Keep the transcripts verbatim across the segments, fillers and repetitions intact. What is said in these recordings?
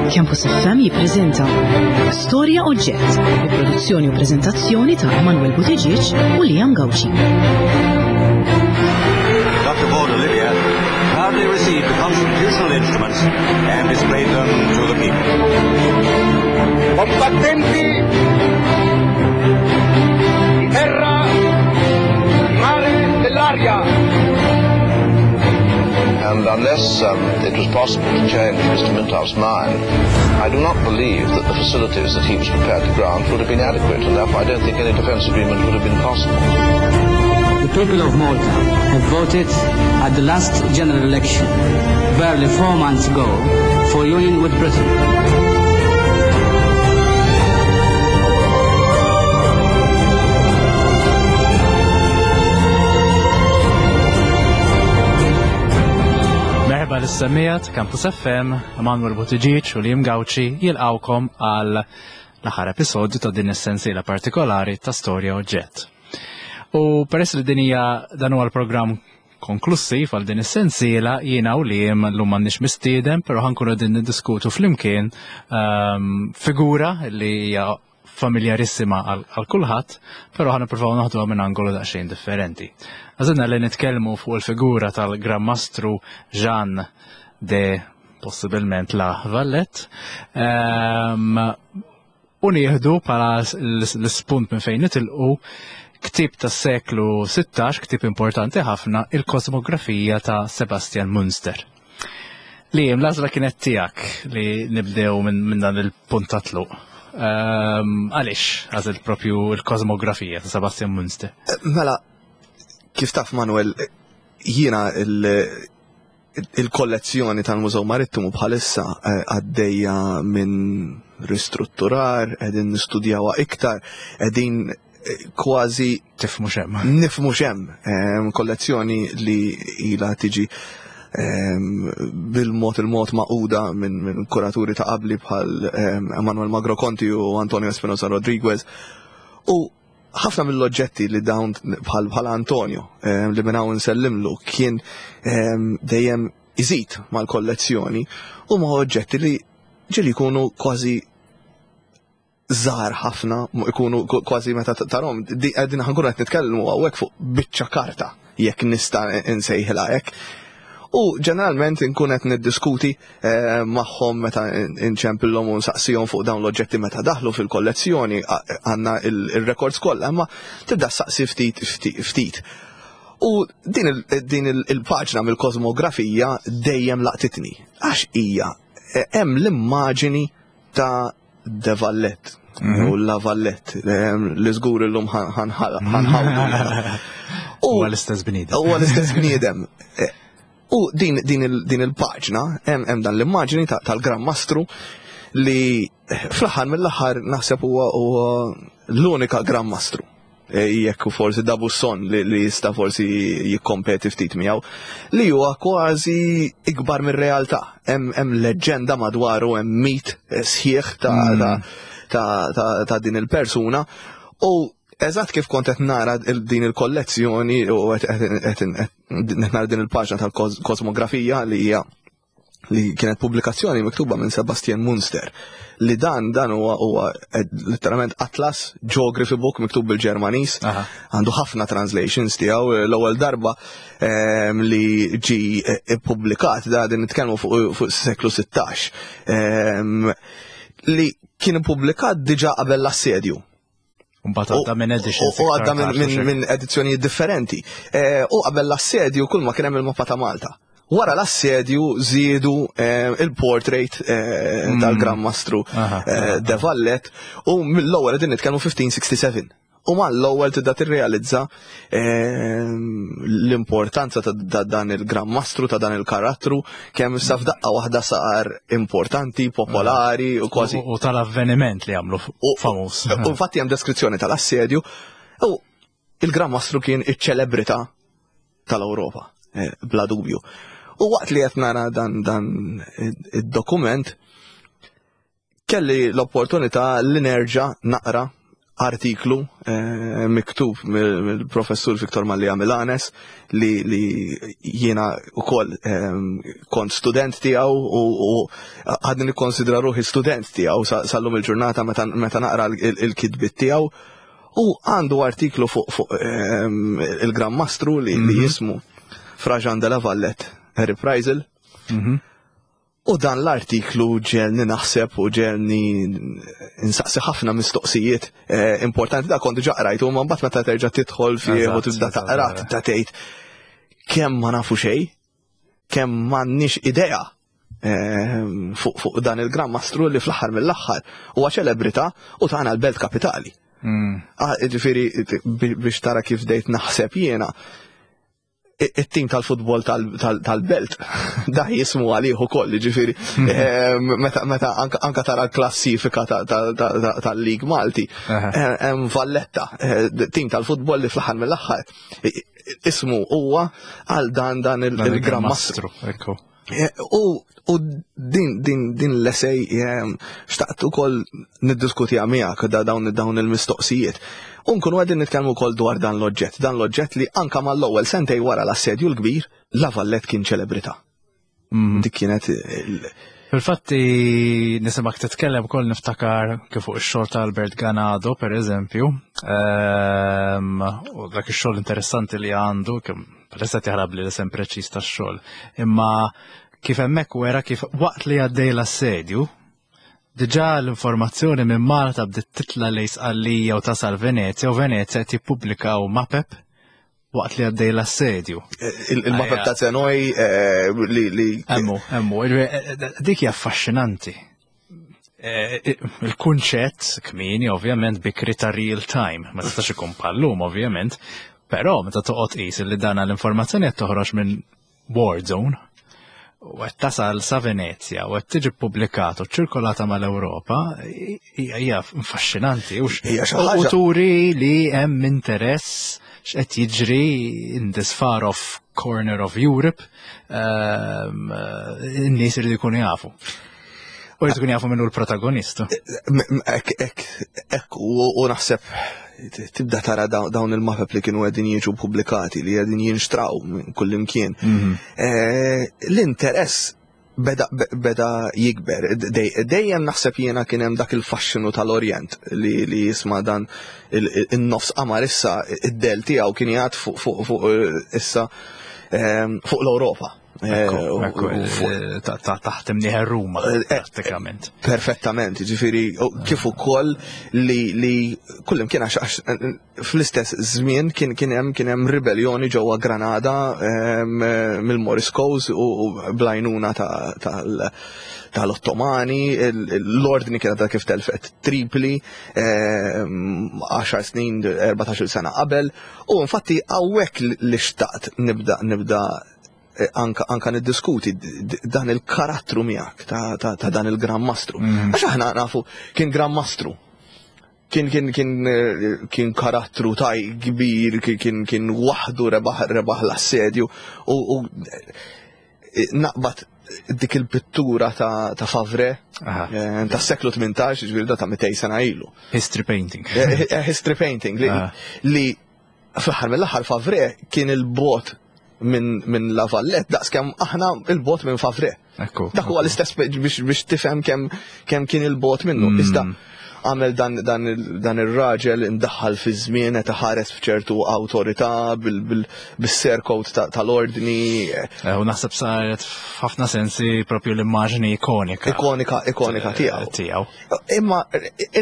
Campus F M jippreżenta Storja Oġġett, bi produzzjoni u preżentazzjoni ta' Emanuel Buttigieg u Liam Gauci. Doctor Paul Olivia proudly received the constitutional instruments and displayed them to the people. Combattenti di terra, mare e dell'aria. And unless, um, it was possible to change Mister Mintoff's mind, I do not believe that the facilities that he was prepared to grant would have been adequate, and therefore I don't think any defence agreement would have been possible. The people of Malta have voted at the last general election, barely four months ago, for union with Britain. Merħba lis-semmiegħa ta' Campus F M, Emanuel Buttigieg u Liam Gauci jilqawkom għal l-aħħar episodju ta' din is-sensiela partikolari ta' Storja Oġġett. U peress li din hija dan huwa l-programm konklusiv għal din is-sensiela, jiena u Liam llum m'għandniex mistieden, però ħankunu qegħdin niddiskutu flimkien, ehm, figura li hija familjarissima għal, għal kulħadd, però ħa nippruvaw naħduha minn angolu daqsxejn differenti. Għażilna li nitkellmu fuq il-figura tal-Gran Mastru Jean de possibilment La Valette, ehm, u nieħdu bħala l-, l-ispunt minn fejn nitilqu ktieb tas-seklu sittax, ktieb importanti ħafna, il-Kosmografija ta' Sebastian Münster. Li l-għażla kienet tiegħek li nibdew minn, minn dan il-punt ta' tluq. Ehm, għaliex għażilt propju l-Kosmografija ta' Sebastian Münster? Mela, kif taf Manuel, jiena il-, il-kollezzjoni tal-Mużew Marittimu bħalissa, eh, għaddejja minn ristrutturar, qegħdin nistudjawha iktar, qegħdin, eh, kważi Tifhmu x'hemm. Nifhmu x'hemm. Ehm, kollezzjoni li ilha tiġi, ehm, bil-mod il-mod maquda minn, minn kuraturi ta' qabli bħal, ehm, Emanuel Magro Conti u Antonio Espinosa Rodriguez. U ħafna mill-oġġetti li dawn bħal, bħal Antonio, ehm, li minn hawn nsellimlu kien, ehm, dejjem iżid mal-kollezzjoni, huma oġġetti li ġieli jkunu kważi żgħar ħafna, mu ikunu k-, kważi meta t-, tarhom, di-, qegħdin ħankunu qed nitkellmu hawnhekk fuq biċċa karta, jekk nista' nsejħilha hekk. U ġeneralment inkun qed niddiskuti, eh, magħhom meta inċempillhom u nsaqsihom fuq dawn l-oġġetti meta daħlu fil-kollezzjoni, a-, għandna il-, il-records kollha, imma tibda saqsi ftit, ftit, ftit. U din il-, din il-, il-paġna mill-kosmografija dejjem laqtitni, għax hija, eh, hemm l-immaġini ta' De Valette, Mhm. u La Valette, eh, li żgur illum ħan-, ħan-, ħanħawdu. U Huwa l-istess bniedem. Huwa l-istess bniedem. Eh, u din, din il-, din il-paġna, hemm, hemm dan l-immaġini ta-, tal-Gran Mastru li fl-aħħar mill-aħħar naħseb huwa, huwa l-unika Gran Mastru. E, jekk u forsi D'Aubusson li, li jista' forsi jikkompeti ftit miegħu, li huwa kważi ikbar mir-realtà. Hemm, hemm leġġenda madwaru, hemm mit sħiħ ta', Mm. ta', ta', ta', ta' din il-persuna. U eżatt kif kont qed nara il-, din il-kollezzjoni u qed, qed, qed, qed nara din il-paġna tal-kosmografija li hija li kienet pubblikazzjoni miktuba minn Sebastian Münster, li dan, dan huwa, huwa letteralment atlas geography book miktub bil-Ġermaniż, Aha. għandu ħafna translations tiegħu. L-ewwel darba, ehm, li ġi ippubblikat, da din nitkellmu fuq, fuq seklu sittax, ehm, li kien ippubblikat diġà qabel l-assedju. Mbagħad għadda minn editions U għadda iktar minn, tard, minn, mhux hekk? minn edizzjonijiet differenti. Eh, u qabel l-assedju kull ma kien hemm il-mappa ta' Malta. Wara l-assedju żiedu, eh, il-portrait, eh, Mm. tal-Gran Mastru, Aha. eh, De Valette, u mill-ewwel qegħdin nitkellmu fifteen sixty-seven. U mal-ewwel tibda tirrealizza, eh, l-importanza ta', ta' dan il-Gran Mastru, ta' dan il-karattru, kemm issa f'daqqa waħda sar importanti, popolari u kważi. U, u tal-avveniment li għamlu f-, U, u, famuż. U infatti hemm deskrizzjoni tal-assedju, u il-Gran Mastru kien iċ-ċelebrità tal-Ewropa, eh, bla dubju. U waqt li qed nara dan, dan id-dokument, kelli l-opportunità li nerġa' naqra artiklu eh, miktub mill-professur Viktor Mallia Milanes li, li jiena ukoll eh, kont student tiegħu u, u għadni nikkonsidra ruħi student tiegħu sal-lum il-ġurnata meta, meta naqra il-kitbiet tiegħu, u għandu artiklu fuq fu, eh, il-Gran Mastru li, mm -hmm. li jismu Fra Jean de la Valette Reprisal. Mm -hmm. U dan l-artiklu ġegħelni naħseb u ġegħelni nsaqsi ħafna mistoqsijiet eh, importanti. Da kont ġa qrajtu, ma mbagħad meta terġa' tidħol fih u tibda taqra, tibda tgħid kemm ma nafu xejn, kemm m'għandniex idea eh, fuq fuq dan il-Gran Mastru li fl-aħħar mill-aħħar huwa ċelebrità u tagħna l-belt kapitali. Mm. Ah, ġifieri biex tara kif bdejt naħseb jiena, it-tim tal-futbol tal-belt, da jismu għalih ukoll, ġifieri, meta anka tara l-klassifika tal-Lig Malti, hemm Valletta, eh, tim tal-futbol li fl-aħħar mill-aħħar ismu huwa għal dan dan il-Gran Mastru. Eh, u u din din din l-essay xtaqt ukoll niddiskutiha miegħek, da dawn dawn il-mistoqsijiet. U nkunu qegħdin nitkellmu wkoll dwar dan l-oġġett, dan l-oġġett li anka mal-ewwel sentej wara l-assedju l-kbir, La Vallette kien ċelebrità. Mm. Dik kienet Fil-fatti nisimak titkellem ukoll niftakar kif fuq ix-xogħol ta' Albert Ganado, per eżempju, ehm, u dak ix-xogħol interessanti li għandu, kemm palissa jaħrab li l-isem preċiż tax-xogħol, imma kif hemmhekk wera kif waqt li għaddej l-assedju, diġà l-informazzjoni minn Malta bdiet titla lejn Sqallija u tasal Venezja, u Venezja qed jippubblikaw mapep waqt li għaddej l-assedju. Il-mapep ta' Senoi eh, li li Emmu, emmu, dik hija affaxxinanti. Eh, il-kunċett kmieni ovvjament bikri ta' real time, ma tistax ikun bħal-lum ovvjament, però meta toqgħod qis li dana l-informazzjoni qed toħroġ minn war zone u qed tasal sa Venezja u qed tiġi ppubblikat u ċirkolata mal-Ewropa, hija affaxxinanti u Hija xi ħaġa. u turi li hemm interess x'qed jiġri in this far off corner of Europe, ehm, in-nies iridu jkunu jafu. U jridu jkunu jafu minnu l-protagonista. Ek, ek, ek, u u naħseb tibda tara daw- dawn il-mapep li kienu qegħdin jiġu pubblikati, li qegħdin jinxtraw minn kullimkien. Eh, L-interess beda, beda jikber. Dej- Dejjem naħseb jiena kien hemm dak il-faxxinu tal-Orjent li, li jisma' dan il-nofs qamar issa id-del tiegħu kien jgħad fuq fuq fuq eh, issa ehm, fuq l-Ewropa. Eh, u- Ekku, u fuq- eh, ta' ta' taħt imnieħer Ruma, Eh, eh, prattikament. Perfettament, ġifiri, u kif ukoll li li kullimkien, għax għax fl-istess żmien kien kien hemm kien hemm ribellioni ġewwa Granada em, mill-Moriscos u, u bl-għajnuna ta- tal- tal-Ottomani, il- l-ordni kienet kif telfet Tripli, em, għaxar snin, erbatax-il sena qabel, u infatti hawnhekk li xtaqt nibda nibda eh, anka, anka niddiskuti d- d- dan il-karattru miegħek ta', ta, ta' dan il-Gran Mastru. Għax aħna nafu kien Gran Mastru. Kien kien kien eh, kien karattru taj kbir, kien kien, kien waħdu rebaħ rebaħ l-assedju u, u eh, naqbad dik il-pittura ta', ta' Favre Aha. eh, ta' seklu tmintax, ġifieri da ta' mitejn sena ilu. History painting. Eh, eh, History painting li, Ah. li fl-aħħar mill-aħħar Favre kien il-bogħod minn min La Vallette daqs kemm aħna il-bogħod minn Favre. Ekku. Dak huwa l-istess biex biex tifhem kemm kemm kien il-bogħod minnu. Mm. Iżda għamel dan, dan, il- dan ir-raġel imdaħħal fi żmien qed iħares f'ċertu awtorità bil-surcoat tal-ordni. Eh, U naħseb saret f'ħafna sensi propju l-immaġni ikonika. Ikonika ikonika tiegħu. Tiegħu. Imma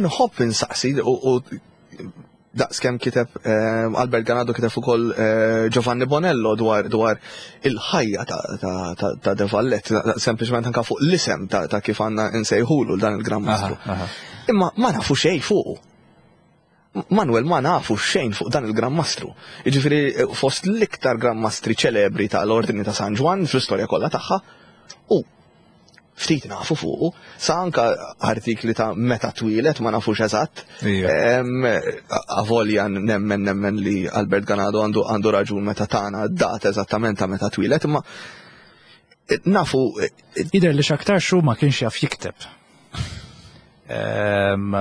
inħobb insaqsi u, u daqs kemm kiteb eh, Albert Ganado, kiteb ukoll eh, Giovanni Bonello dwar dwar il-ħajja ta', ta, ta, ta' De Vallette, sempliċement anka fuq l-isem ta', ta' kif għandna nsejħulu dan il-Gran Mastru. Aha, aha. Imma ma nafu xejn fuqu. Manuel, ma nafu xejn fuq dan il-Gran Mastru. Jiġifieri eh, fost l-iktar Gran Mastri ċelebri tal-Ordni ta' San Ġwann fl-istorja kollha tagħha u ftit nafu fuqu, sa anka artikli ta' meta twieled ma nafux eżatt. Ija. Em, Avolja nemmen nemmen li Albert Ganado għandu għandu raġun meta tana data eżattament ta' meta twieled, imma nafu Jidher li x'aktar xu ma kienx jaf jikteb. Ehm,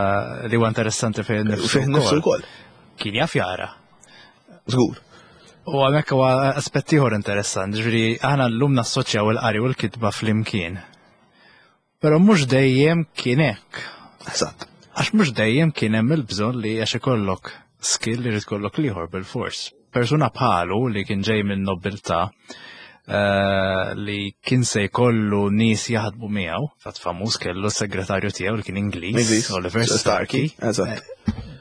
li huwa interessanti fih nifsu. Fih nifsu wkoll. Kien jaf jara. Żgur. U hemmhekk huwa aspett ieħor interessanti, ġifieri aħna llum nassoċjaw il-qari u l-kitba flimkien. Però mhux dejjem kien hekk. Eżatt. Għax mhux dejjem kien hemm il-bżonn li għax ikollok skill li jrid ikollok l-ieħor bil-fors. Persuna bħalu li kien ġej minn nobiltà eh, li kien se jkollu nies jaħdmu miegħu, fatt famuż kellu s-segretarju tiegħu li kien Ingliż, Ingliż, Oliver Starkey, Starkey. eżatt.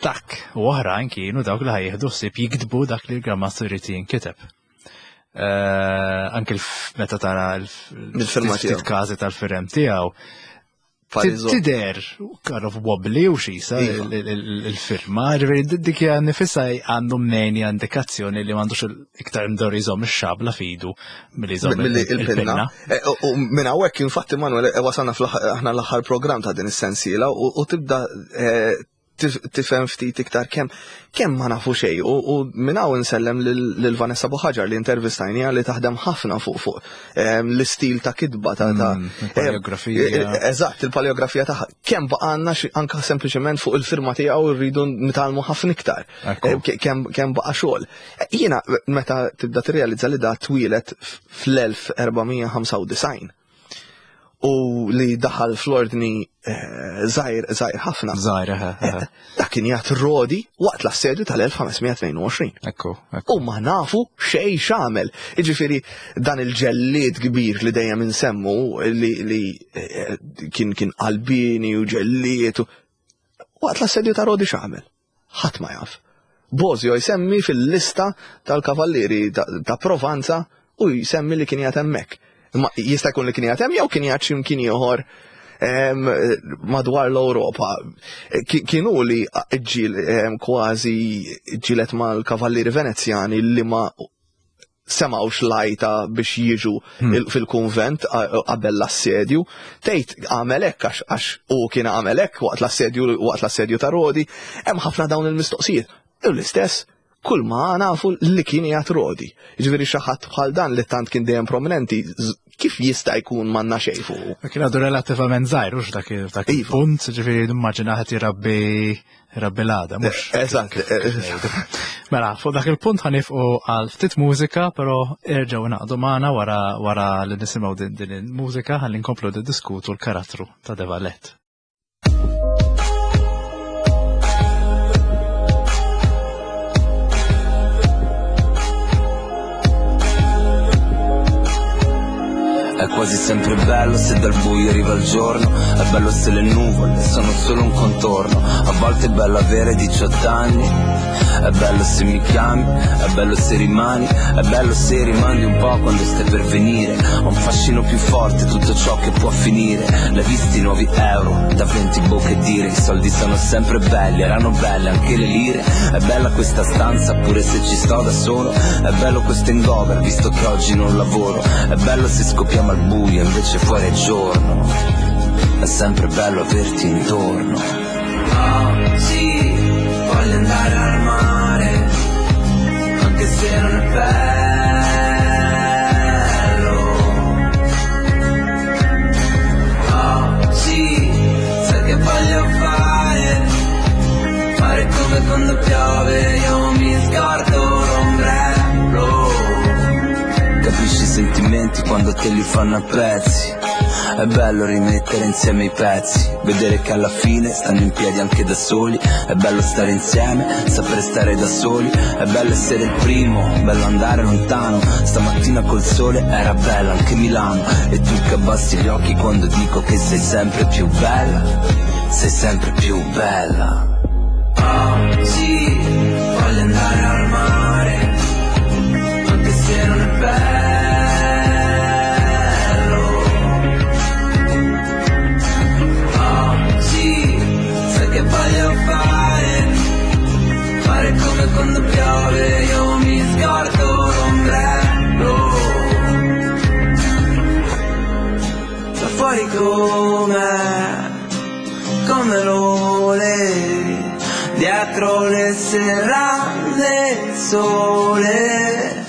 Dak u oħrajn kienu dawk li ħa jieħdu ħsieb jiktbu dak li l-Grammaster irid jinkiteb. Eh, anke meta tara Il-firma l-ftit tiegħu. każi tal-firem tiegħu, Parizo. Tider, kind of wobbly u xisa Iva. il- il- il-firma, ġifieri dik hija nifisha għandu mnejn hija indikazzjoni li m'għandux iktar mdor jżomm ix-xabla fidu milli jżomm Milli il-pinna. il-pinna. Eh, U u minn hawnhekk infatti Manuel eh, wasalna fl-aħħar- aħna l-aħħar programm ta' din is-sensiela u u tibda eh, tif- tifhem ftit iktar kemm kemm ma nafu xejn u u minn hawn insellem lil lil Vanessa Buħaġar li intervistajnija li taħdem ħafna fuq fuq ehm, l-istil ta' kitba ta' ta' Mm, il-paleografija. eh, Eżatt, il-paleografija tagħha. Kemm baqgħanna xi- anka sempliċement fuq il-firma tiegħu rridu nitgħallmu ħafna iktar. Ekku. Eh, ke- Kemm kemm baqa' xogħol. Eh, Jiena meta tibda tirrealizza li da twieled fl-elf erba' mija ħamsa u disgħin u li daħal fl-ordni eh, żgħir żgħir ħafna. Żgħir, eħe, eħe. Dak kien jgħat Rodi waqt l-assedju tal-elf ħames mija tnejn u għoxrin. Ekku, ekku. U ma nafu xej x'għamel. Jiġifieri dan il-ġellied kbir li dejjem insemmu li, li eh, kien kien qalbini u ġellied u waqt l-assedju ta' Rodi x'għamel. Ħadd ma jaf. Bosio jsemmi fil-lista tal-kavallieri ta', ta Provanza u jsemmi li kien jgħat hemmhekk. Ma jista' jkun li kien jgħat hemm jew kien jgħat x'imkien ieħor em, madwar l-Ewropa. Ki- Kienu li ġil em, kważi ġilet mal-kavallieri Venezjani li ma semawx lajta biex jiġu il- fil-kunvent a- qabel l-assedju. Tgħid għamel hekk għax għax u kien għamel hekk waqt l-assedju waqt l-assedju ta' Rodi, hemm ħafna dawn il-mistoqsijiet. U l-istess kull ma nafu li kien jgħat Rodi. Jiġifieri xi ħadd bħal dan li tant kien dejjem prominenti, z- kif jista' jkun m'għandna xejn fuqu? Kien għadu relattivament żgħir, hux dak il- dak Iva. il-punt, ġifieri nimmaġina ħadd irabbi irabbi l-għada, mhux. Eżatt. Mela, fuq dak il-punt ħa nieqfu għal ftit mużika, però erġgħu naqdu magħna wara wara li nisimgħu din din il-mużika ħalli nkomplu niddiskutu l-karattru ta' De Valette. È quasi sempre bello se dal buio arriva il giorno, è bello se le nuvole sono solo un contorno, a volte è bello avere diciotto anni, è bello se mi chiami, è bello se rimani, è bello se rimandi un po' quando stai per venire, ho un fascino più forte tutto ciò che può finire, l'hai visti i nuovi euro, da venti boh che dire, i soldi sono sempre belli, erano belle anche le lire, è bella questa stanza pure se ci sto da solo, è bello questo hangover visto che oggi non lavoro, è bello se scopriamo al buio invece fuori è giorno, è sempre bello averti intorno. Oh, sì, voglio andare al mare, anche se non è bello. Oh, sì, sai che voglio fare, fare come quando piove, io mi scordo l'ombrello. Capisci i sentimenti quando te li fanno a pezzi. È bello rimettere insieme i pezzi, vedere che alla fine stanno in piedi anche da soli. È bello stare insieme, saper stare da soli. È bello essere il primo, bello andare lontano. Stamattina col sole era bella anche Milano. E tu che abbassi gli occhi quando dico che sei sempre più bella, sei sempre più bella. Oh, sì, voglio andare al mare, anche se non è bello. Oh, sì, sai che voglio fare, fare come quando piove, io mi scordo l'ombrello. Da fuori com'è, come lo volevi, dietro le serrande il sole.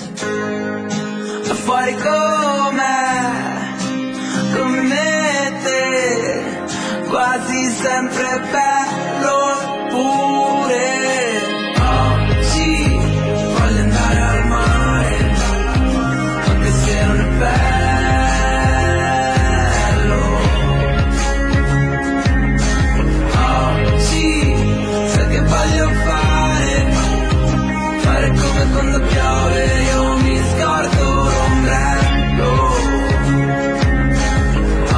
Da fuori com'è, come me te, quasi sempre bello pure. Oggi voglio andare al mare, anche se non è bello. Oggi sai che voglio fare, fare come quando piove, io mi scordo l'ombrello.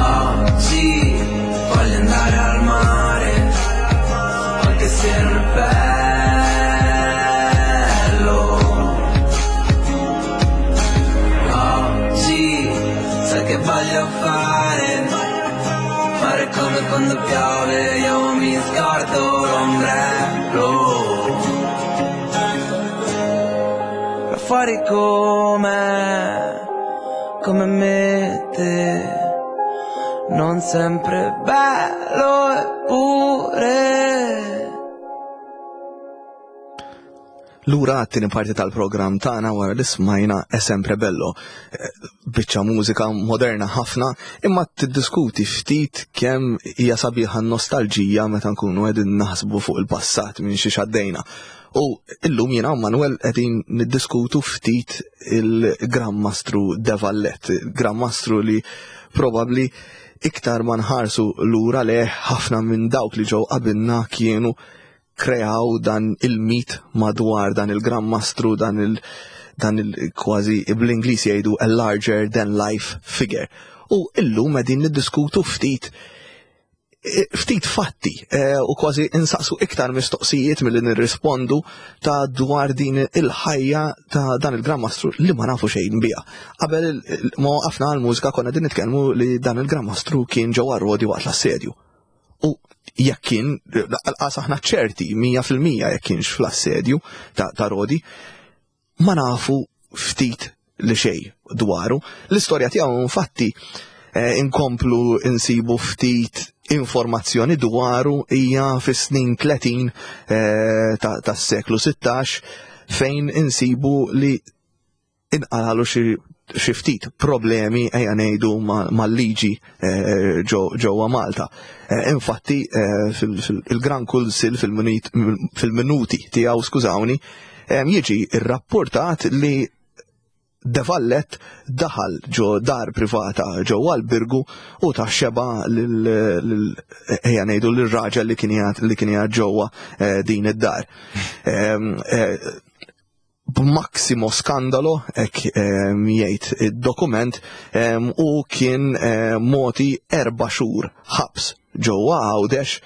Oggi voglio andare al mare, anche se non è bello. Oggi sai che voglio fare, fare come quando piove, io mi scordo l'ombrello. Ma fuori come, come me te, non sempre bello eppure. Lura għat-tieni parti tal-programm tagħna wara li smajna È sempre bello. Eh, Biċċa mużika moderna ħafna, imma tiddiskuti ftit kemm hija sabiħa nostalġija meta nkunu qegħdin naħsbu fuq il-passat minn xi għaddejna. U illum jiena u Manuel qegħdin niddiskutu ftit il-Gran Mastru De Valette, Gran Mastru li probabbli iktar ma nħarsu lura leh ħafna minn dawk li ġew qabilna kienu kreaw dan il-mit madwar dan il-Gran Mastru, dan il- dan il kważi bl-Ingliż jgħidu a larger than life figure. U illum qegħdin niddiskutu ftit eh, ftit fatti eh, u kważi insaqsu iktar mistoqsijiet milli nirrispondu ta' dwar din il-ħajja ta' dan il-Gran Mastru li ma nafu xejn biha. Qabel il- il- ma waqafna għal-mużika konna din nitkellmu li dan il-Gran Mastru kien ġewwa Rodi waqt l-assedju. U jekk kien, lanqas aħna ċerti mija fil-mija jekk kienx fl-assedju ta', ta' Rodi, ma nafu ftit li xej dwaru. L-istorja tiegħu infatti eh, inkomplu insibu ftit informazzjoni dwaru hija fis-snin tletin eh, ta' tas-seklu sittax fejn insibu li inqalalu xi xi ftit problemi ejja ngħidu ma- mal-liġi eh, ġo- ġewwa Malta. Eh, Infatti eh, fil-Gran Kunsill fil-minuti tiegħu, skużawni, eh, jiġi rrapportat li De Valette daħal ġo dar privata ġewwa l-Birgu u ta xeba lil lil- ejja ngħidu lir-raġel li kien jgħid li kien jgħid ġewwa eh, din id-dar. Em, eh, B'maximo skandalo, hekk em, jgħid id-dokument, em, u kien eh, moti erba' xhur ħabs ġewwa Għawdex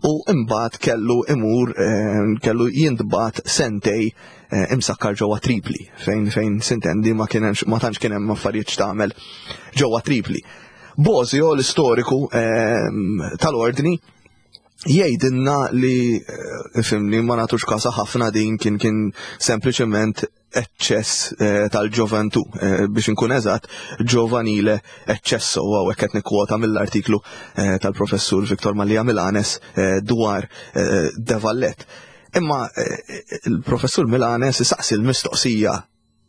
u imbagħad kellu imur em, kellu jintbagħat sentej eh, imsakkar ġewwa Tripli fejn fejn sintendi ma kienx ma tantx kien hemm affarijiet x'tagħmel ġewwa Tripli. Bosio, l-istoriku em, tal-ordni, jgħidilna li eh, fimni ma nagħtux kasa ħafna din kien kien sempliċement eċċess eh, tal-ġoventu, eh, biex inkun eżatt, giovanile eccesso, u hawnhekk qed nikkwota mill-artiklu eh, tal-professur Victor Mallia Milanes eh, dwar eh, De Valette. Imma eh, il-professur Milanes saqsi l-mistoqsija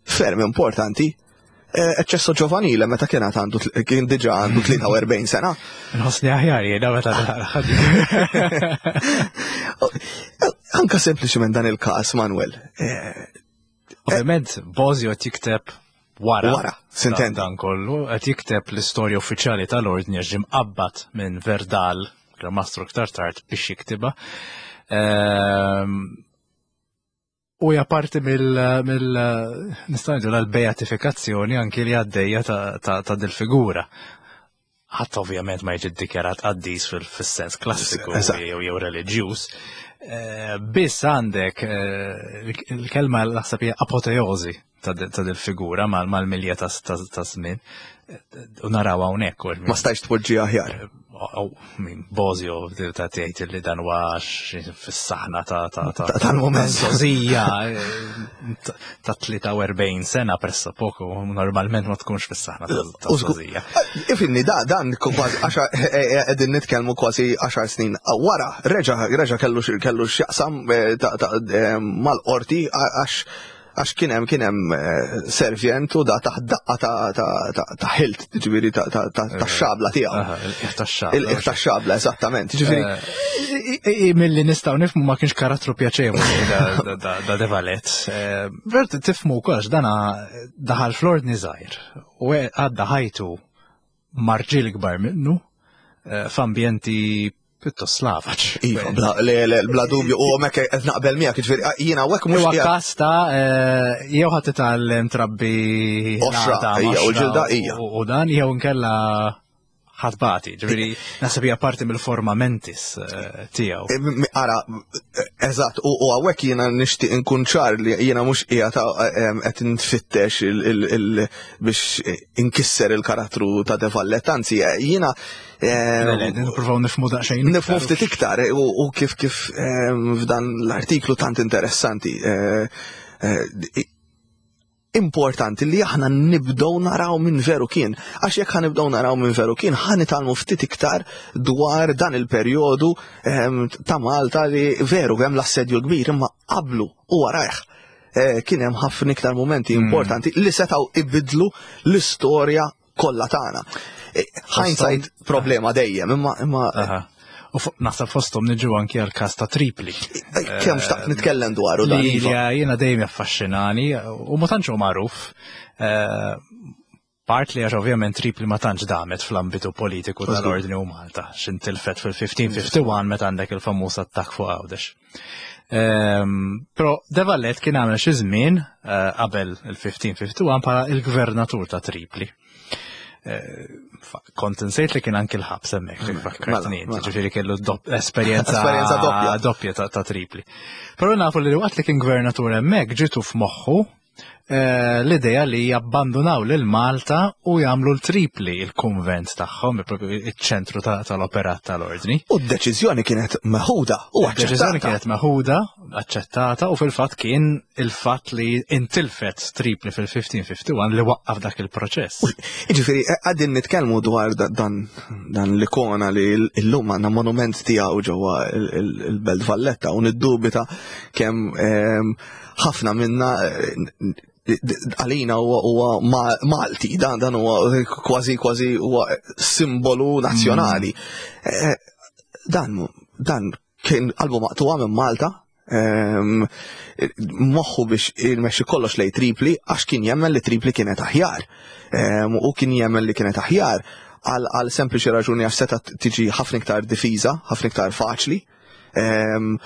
ferm importanti, eh, eccesso giovanile meta kien għandu kien diġà għandu tlieta u erbgħin sena. Nħossni aħjar jiena meta naqra. Anka sempliċement dan il-każ, Manuel. Eh, Ovvjament, Bosio qed jikteb wara. Wara, sintendi. Dan kollu, qed jikteb l-istorja uffiċjali tal-ordni għax ġie mqabbad minn Verdal, Gran Mastru iktar tard, biex jiktiba. Ehm, U hija parti mill, mill nistgħu ngħidu l-beatifikazzjoni anki li għaddejja ta', ta', ta' dil-figura. Ħadd ovvjament ma jiġi ddikjarat qaddis fil- fis-sens klassiku Eżatt. jew jew reliġjuż. Eh, Biss għandek eh, il-kelma naħseb hija apoteosi ta' ta' dil-figura mal- mal-milja ta' ta' ta' żmien. Eh, U naraw hawnhekk u Ma stajx tpoġġi aħjar. Aw, min Bosio ta' tgħid li dan huwa xi fis-saħna ta' ta' ta' Ta' tal-moment. Sozija ta' ta' tlieta u erbgħin sena pressa poco, normalment ma tkunx fis-saħna ta' ta' U żgur- sozija. Ifimni, da, dan kważi għaxar, qegħdin nitkellmu kważi għaxar snin wara, reġa, reġa kellu x- kellu x'jaqsam eh, ta- ta- eh, mal-qorti għax Għax kien hemm kien hemm eh, servjent u da taħt daqqa ta' ta' ta' ta' ħilt, ġifieri ta' ta' ta' ta' xabla tiegħu. Aha, il-qiegħ tax-xabla. Il-qiegħ ta' xabla, eżattament. Ġifieri Eh, Milli nistgħu nifhmu ma kienx karattru pjaċevoli da- da- da- da De Valette. Eh, Vert tifhmu wkoll dana daħal fl-ordni żgħir u għadda ħajtu ma' rġiel kbar minnu eh, f'ambjenti pjuttost slavaġ. Iva, bla, le, le, bla dubju, u hemmhekk qed naqbel miegħek, ġifieri jiena hawnhekk mhux Huwa qiegħed- każ ta' eh, jew ħadd titgħallem trabbi Oxra, l-għadam, ija, u oxra, l-ġilda, ija. U u dan jew inkella ħa tbati, ġifieri naħseb hija parti mill-forma mentis eh, tiegħu. Eh, m- Ara, eh, eżatt, u u hawnhekk jiena nixtieq inkun ċar li jiena mhux qiegħed qed nfittex il- il- il- biex inkisser il-karattru ta' De Valette, anzi eh, jiena eh, Le, le, Nippruvaw nifhmu daqsxejn. nifhmu ftit iktar eh, u u kif kif eh, f'dan l-artiklu tant interessanti. eh, eh, Importanti li aħna nibdew naraw minn veru kien. Għax jekk ħa nibdew naraw minn veru kien, ħa nitgħallmu ftit iktar dwar dan il-perjodu em, ta' Malta li veru hemm l-assedju l-kbir imma qablu u warajh. Eh, Kien hemm ħafna iktar momenti importanti li setgħu ibidlu l-istorja kollha tagħna. Eh, Hindsight problema dejjem, imma imma Aha. U fu- naħseb fosthom niġu anki għal każ ta' Tripli. eh, kemm xtaqt nitkellem dwaru dan. Li iva. li jiena dejjem jaffaxxinani u ma tantx hu magħruf. Eh, Part li għax ovvjament Tripli ma tantx damet fl-ambitu politiku tal-Ordni u Malta, x'intilfet fil-fifteen fifty-one meta għandek il-famuż attakk fuq Għawdex. Ehm, Però De Valette kien għamel xi żmien eh, qabel il-fifteen fifty-one bħala il-gvernatur ta' Tripli. Eh, fa- Kont insejt li kien anki l-ħabs hemmhekk, li fakkartni mela, inti, mela. ġifieri kellu dopp- esperjenza Esperjenza doppja. doppja ta', ta' Tripli. Però nafu li waqt li kien gvernatur hemmhekk ġitu f'moħħu eh, l-idea li jabbandunaw lil Malta u jagħmlu l-Tripli il-kunvent tagħhom, propju iċ-ċentru ta- tal-operat tal-ordni. U d-deċiżjoni kienet meħuda u Deċiżjoni aċċettata. kienet meħuda, aċċettata u fil-fatt kien il-fatt li intilfet Tripli fil-fifteen fifty-one li waqqaf dak il-proċess. Iġifieri, eh, għadin nitkellmu dwar da- dan, dan l-ikona li l-lum għandna monument tiegħu ġewwa il- il- il-Belt Valletta u niddubita kemm ehm, ħafna minna eh, għalina huwa huwa Ma- Malti, dan dan huwa kważi kważi huwa simbolu nazzjonali. Eh, Dan dan kien qalbu maqtuwa minn Malta, ehm, moħħu biex imexxi kollox lej Tripli għax kien jemmen li Tripli kienet aħjar. Ehm, U kien jemmen li kienet aħjar għal għal sempliċi raġuni għax seta tiġi ħafna iktar difiża, ħafna iktar faċli. Ehm,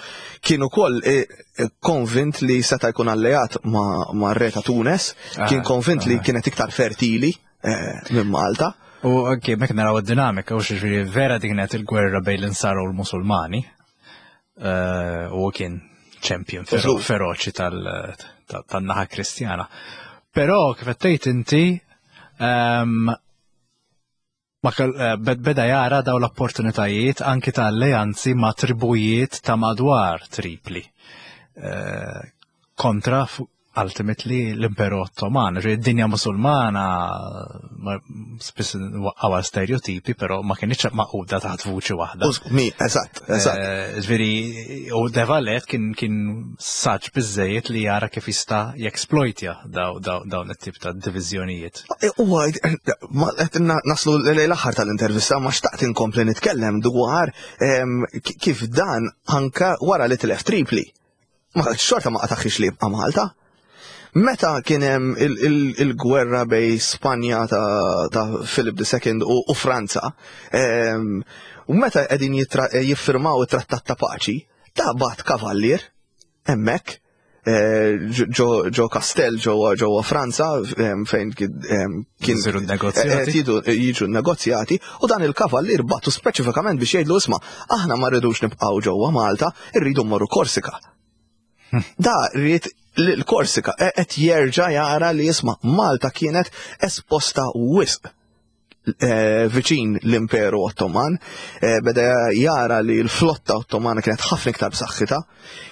Kien ukoll eh, eh, konvint li seta jkun alleat ma' ma' re ta' Tunes, kien Ah, konvint li ah. kienet iktar fertili eh, minn Malta. U anke mek naraw id-dinamika, u ġifieri vera dik kienet il-gwerra bejn l-Insara u l-Musulmani. Eh, U kien champion fero- Żgur. feroċi tal- ta- tan-naħa Kristjana. Però kif qed tgħid inti ehm, ma kell- eh, bed- beda jara daw l-opportunitajiet anki ta' alleanzi ma' tribujiet ta' madwar Tripli. Eh, kontra fu- ultimately l-Imperu Ottoman. Ġifieri id-dinja musulmana ma- spiss waqqawa stereotipi, però ma kienx maquda taħt vuċi waħda. U mi, eżatt, eżatt. Eh, Ġifieri, u De Valette kien kien saġġ biżejjed li jara kif jista' jeksploitja daw- daw- dawn it-tip ta' diviżjonijiet. Huwa ma qed na- naslu lejn l-aħħar tal-intervista, ma xtaqt inkompli nitkellem dwar em, ki- kif dan anka wara li tilef Tripli. Ma xorta ma qataħx li jibqa' Malta. Meta kien hemm il- il- il-gwerra bej Spanja ta', ta Philip the Second u, u Franza, em, u meta qegħdin jittra- jiffirmaw it-trattat ta' paċi, ta' bagħat kavallier hemmhekk eh, ġo ġo kastell ġewwa ġewwa Franza em, fejn kien em, kien Isiru negozjati. eh, jidu- jiġu negozjati u dan il-kavallier bagħtu speċifikament biex jgħidlu: "Isma', aħna ma rridux nibqgħu ġewwa Malta, irridu mmorru Korsika." Da rrid l-Korsika e- qed jerġa' jara li jisma' Malta kienet esposta wisq eh, viċin l-Imperu Ottoman, eh, beda jara li l-flotta Ottomana kienet ħafna iktar b'saħħitha,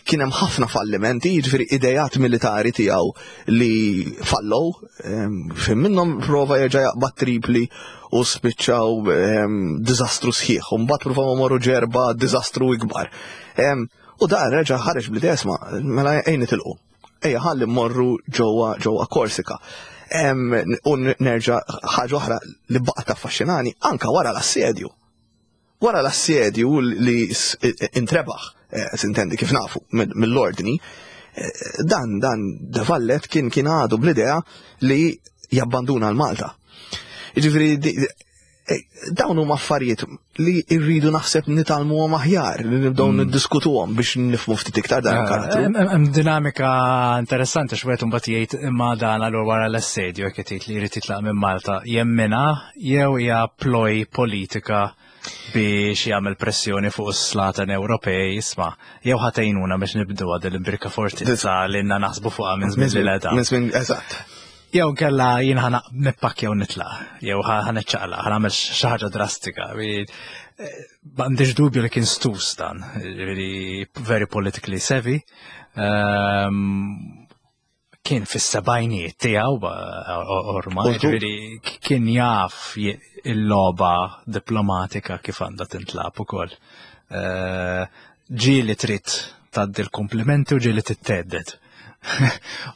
kien hemm ħafna fallimenti, jiġifieri idejat militari tiegħu li fallow, em, fejn minnhom prova jerġa' jaqbad Tripli u spiċċaw em, diżastru sħiħ, u mbagħad provaw morru Ġerba, diżastru ikbar. Em, U da reġa' ħareġ bl-idea: "Isma', mela ejn nitilqu. Ejja ħalli mmorru ġewwa ġewwa Korsika. U nerġa' ħaġa oħra li baqgħet taffaxxinani anka wara l-assedju. Wara l-assedju li intrebaħ, eh, sintendi kif nafu, mill-ordni, eh, dan dan De Vallet kien kien għadu bl-idea li jabbanduna l-Malta. Jiġifieri eh, dawn huma affarijiet li rridu naħseb nitgħallmuhom aħjar, li nibdew mm. niddiskutuhom biex nifhmu ftit iktar dan il-karattru. Hemm dinamika interessanti x'wieħed imbagħad jgħid imma dan allura wara l-assedju jekk jgħid li jrid jitlaq minn Malta jemmina jew hija ploy politika biex jagħmel pressjoni fuq is-slaten Ewropej isma' jew ħa tgħinuna biex nibdu għad l-imbierka fortizza li lna naħsbu fuqha minn żmien li leda. Minn żmien eżatt. Jew kella jien ħa nippakkja u nitlaq, jew ħa niċċaqlaq, ħa nagħmel xi ħaġa drastika. M'għandix dubju li kien stus dan, very politically savvy. Ehm, kien fis-sebgħinijiet tiegħu ormai, ġifieri kien jaf il-logħba diplomatika kif għandha tintlagħab ukoll. Eh, ġieli trid tgħaddi l-komplimenti u ġieli tithedded.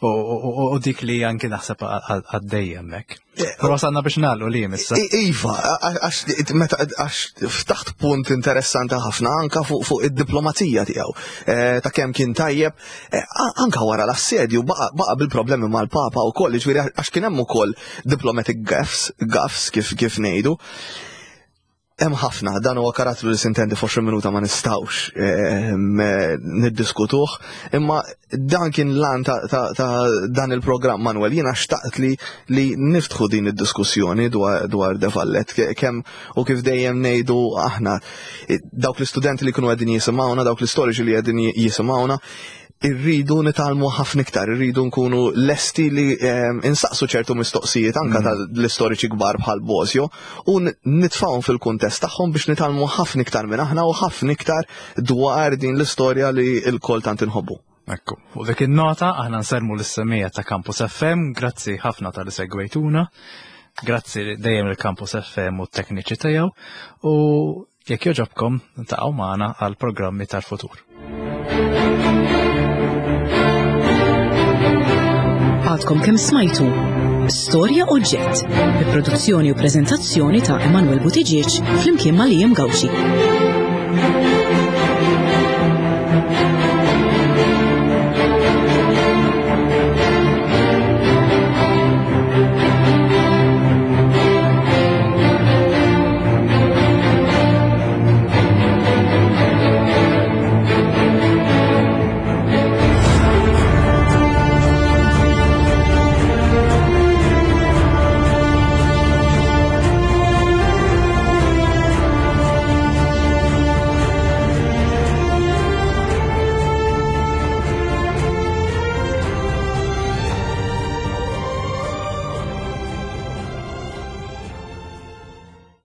U dik li anki naħseb għaddejja hemmhekk. Eh, Però wasalna biex nagħlqu li issa. Iva, għax ftaħt punt interessanti ħafna anka fuq id-diplomazija tiegħu. Eh, ta' kemm kien tajjeb, eh, anka wara l-assedju baqa' bil-problemi mal-Papa u koll, ġifieri għax kien hemm ukoll diplomatic gaffes, gaffes kif kif ngħidu. Hemm ħafna, dan huwa karattru li sintendi f'għoxrin minuta ma nistgħux ehm, niddiskutuh, imma dan kien l-għan ta', ta, ta dan il-programm Manuel, jiena xtaqt li, li niftħu din id-diskussjoni dwar, dwar De Vallet, kemm u kif dejjem ngħidu aħna dawk l-istudenti li kienu qegħdin jisimgħuna, dawk l-istoriċi li qegħdin jisimgħuna, irridu nitgħallmu ħafna iktar, irridu nkunu lesti li ehm, insaqsu ċertu mistoqsijiet anka mm. tal-istoriċi kbar bħal Bosio u nitfawhom fil-kuntest tagħhom biex nitgħallmu ħafna iktar minn aħna u ħafna iktar dwar din l-istorja li l-kol tant inħobbu. Ekku, u dik in-nota aħna nsellmu lis-semmiegħa ta' Campus F M, grazzi ħafna talli segwejtuna, grazzi dejjem il-Campus F M u t-tekniċi tiegħu u jekk jogħġobkom ibqgħu magħna għal programmi tal-futur. Għadkom kemm smajtu Storja Oġġett, bi produzzjoni u prezentazzjoni ta' Emanuel Buttigieg flimkien ma' Liam Gauci.